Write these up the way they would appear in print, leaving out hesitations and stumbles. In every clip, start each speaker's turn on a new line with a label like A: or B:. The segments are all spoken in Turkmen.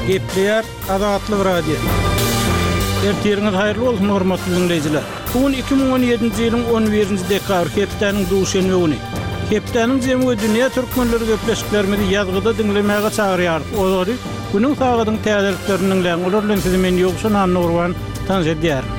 A: Gepleýär Azatlyk Radiosy. Ertiriňiz haýyrly bolsun, hormatly diňleýjiler! Bu gün 2017-nji ýylyň on birinji dekabry, hepdäniň duşenbe güni. Hepdäniň jemi we dünýä türkmenleri gepleşiklerimizi ýazgyda diňlemäge çagyrýarys. Olary günüň sagadyň täzeliklerini diňläň. Olar bilen sizi men Ýowşan Annagurban tanyş edýärin.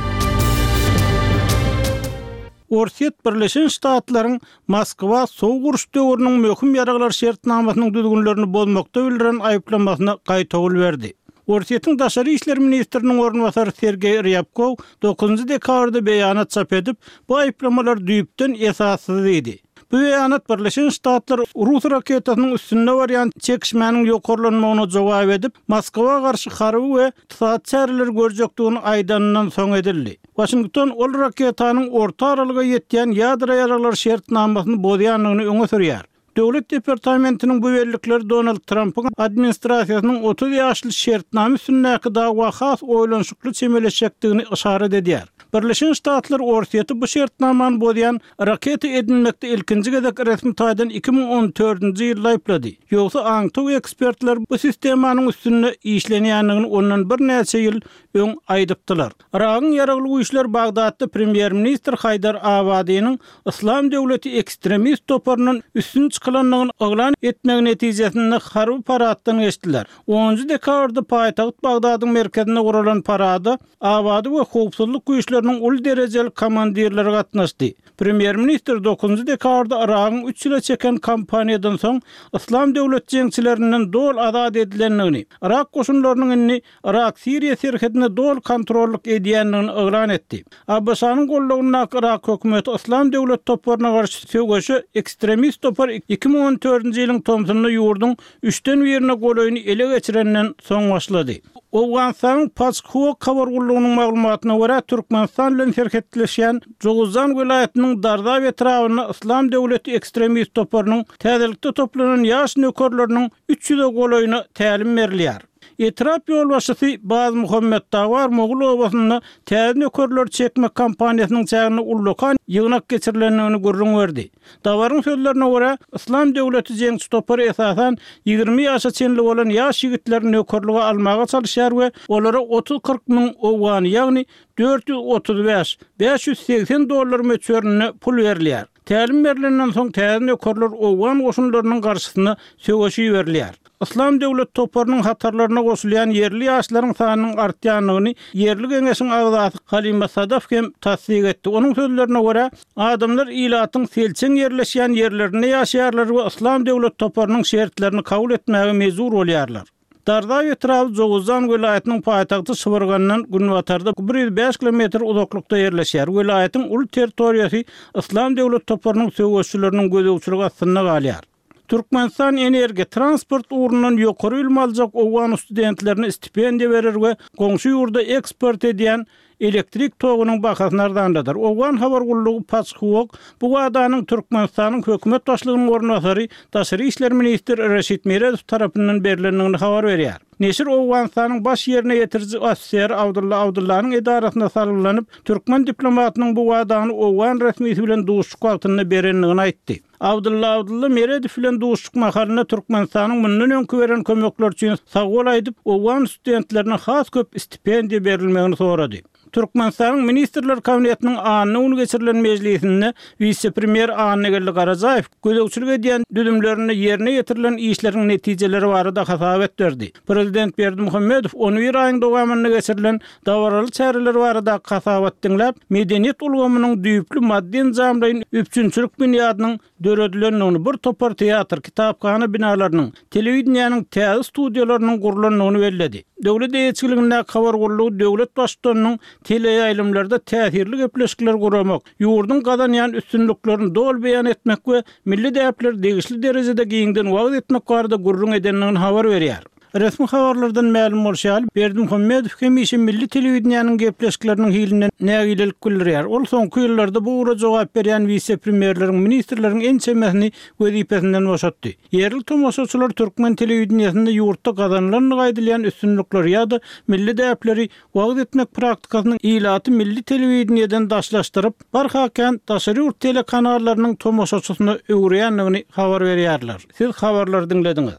A: Orsýet Birleşen Ştatlaryň Moskwa Sowuk uruş döwrüniň möhüm ýaraglar şertnamasynyň düzgünlerini bozmakda bildiren aýyplamasyna gaýtawul berdi. Orsýetiň daşary işler ministriniň orunbasary Sergeý Rýabkow dokuzynjy dekabrda beýanat çap edip, bu aýyplamalar düýpden esassyz diýdi. Bu beýanat Birleşen Ştatlar rus raketasynyň üstünde barýan çekişmäniň ýokarlanmagyna jogap edip, Moskwa garşy harby we ykdysady çäreleri görjekdigini aýdanyndan soň edildi. Waşington ol raketanyň orta aralyga ýetýän ýadro ýaraglar şertnamasyny bozýandygyny öňe sürýär. Döwlet departamentiniň bu bellikleri Donald Trampyň administrasiýasynyň 30 ýaşly şertnama üstündäki dawa has oýlanyşykly çemeleşjekdigini yşarat edýär. Birleşen Ştatlar Orsýeti bu şertnamany bozýan raketa edinmekde ilkinji gezek resmi taýdan 2014-nji ýylda aýyplady. Ýogsa aňtaw ekspertler bu sistemanyň üstünde işlenýändigini ondan birnäçe ýyl öň aýdypdylar. Yragyň ýaragly güýçleri Bagdatda premýer-ministr Haýdar Abadynyň Yslam döwleti ekstremist toparyndan üstün çykylandygyny yglan etmegi netijesinde harby paraddan geçdiler. Onunjy dekabrda paýtagt Bagdadyň merkezinde guralan parada Abady we howpsuzlyk güýçleriniň uly derejeli komandirleri gatnaşdy. Premýer-ministr dokuzynjy dekabrda Yragyň üç ýyla çeken kampaniýadan soň Yslam döwleti jeňçilerinden doly azat edilendigini, yrak goşunlarynyň indi Yrak-Siriýa serhedine doly kontrollyk edýändigini yglan etdi. ABŞ-nyň goldawyndaky Yrak hökümeti Yslam döwleti toparyna garşy söweşe ekstremist topar 2014-nji ýylyň tomsunda ýurduň üçden birine golaýyny ele geçirenden soň başlady. Owganystanyň Paçhwok habar gullugynyň maglumatyna görä, Türkmenistan bilen serhetleşýän Jowuzjan welaýatynyň Darzab etrabynda Yslam döwleti ekstremist toparynyň täzelikde toplanan ýaş nökerleriniň 300-e golaýyna tälim berilýär. Etrap ýolbaşçysy Bazmuhammet Dawar Mogul obasynda täze nökerleri çekmek kampaniýasynyň çäginde ullakan ýygnak geçirilendigini gürrüň berdi. Dawaryň sözlerine görä, Yslam döwleti jeňçi topary esasan 20 ýaşa çenli bolan ýaş ýigitleri nökerlige almaga çalyşýar we olara otuz-kyrk müň owgany, ýagny 435, 580 dollar möçberinde pul berilýär. Tälim berlenden soň täze nökerler owgan goşunlarynyň garşysyna söweşe iberilýär. Yslam döwlet toparynyň hatarlaryna goşulýan ýerli ýaşlaryň sanynyň artýandygyny ýerli geňeşiň agzasy Halima Sadaf hem tassyk etdi. Onuň sözlerine görä, adamlar ilatyň selçeň ýerleşýän ýerlerinde ýaşaýarlar we Yslam döwlet toparynyň şertlerini kabul etmäge mejbur bolýarlar. Dardaw etraby Jowuzjan welaýatynyň paýtagty Şybyrgandan günbatarda 105 kilometr uzaklykda ýerleşýär. Welaýatyň uly territoriýasy Yslam döwlet toparynyň söweşçileriniň gözegçiligi astynda galýar. Türkmenistan energiýa, transport ugrundan ýokary bilim aljak owgan studentlerine stipendiýa berer we goňşy ýurda eksport edýän elektrik togunyň bahasyny arzanladar. Owgan habar gullugy Paçhuok bu wadanyň Türkmenistanyň hökümet başlygynyň orunbasary, daşary işler ministri Reşit Meredow tarapyndan berlendigini habar berýär. Neşir Owganystanyň baş ýerine ýetiriji ofiseri Abdylla Abdyllanyň edarasyna salgylanyp, türkmen diplomatynyň bu wadany owgan resmisi bilen duşuşyk wagtynda berendigini aýtdy. Abdylla Abdylla Meredow bilen duşuşyk mahalynda Türkmenistanyň mundan öňki beren kömekleri üçin sagbol aýdyp, owgan studentlerine has köp stipendiýa berilmegini sorady. Türkmenistanyň Ministrler Kabinetiniň anna güni geçirilen mejlisinde wise-premýer Annageldi Garajaýew gözegçilik edýän düzümlerinde ýerine ýetirilen işleriň netijeleri barada hasabat berdi. Prezident Berdimuhamedow on bir aýyň dowamynda geçirilen Dabaraly çäreler baradaky hasabaty diňläp, medeniýet ulgamynyň düýpli maddy-enjamlaýyn üpjünçilik binýadynyň döredilendigini, bir topar teatr, kitaphana binalarynyň, telewideniýäniň täze studiýalarynyň gurlandygyny belledi. Döwlet eýeçiligindäki habar gullugy döwlet Baştutanynyň teleýaýlymlarda täsirli gepleşikleri guramak, ýurduň gazanýan üstünliklerini doly beýan etmek we milli däpleri degişli derejede giňden wagyz etmek barada gürrüň edendigini habar berýär. Resmi habarlardan mälim bolşy ýaly, Berdimuhamedow hemişe milli telewideniýäniň gepleşikleriniň hilinden nägilelik bildirýär. Ol soňky ýyllarda bu ugra jogap berýän wise-premýerleriň, ministrleriň ençemesini wezipesinden boşatdy. Ýerli tomaşaçylar türkmen telewideniýesinde ýurtda gazanylandygy aýdylýan üstünlikleri ýa-da milli däpleri wagyz etmek praktikasynyň ilaty milli telewideniýeden daşlaşdyryp, barha kän daşary ýurt telekanallarynyň tomaşaçysyna öwürýändigini habar berýärler. Siz habarlary diňlediňiz.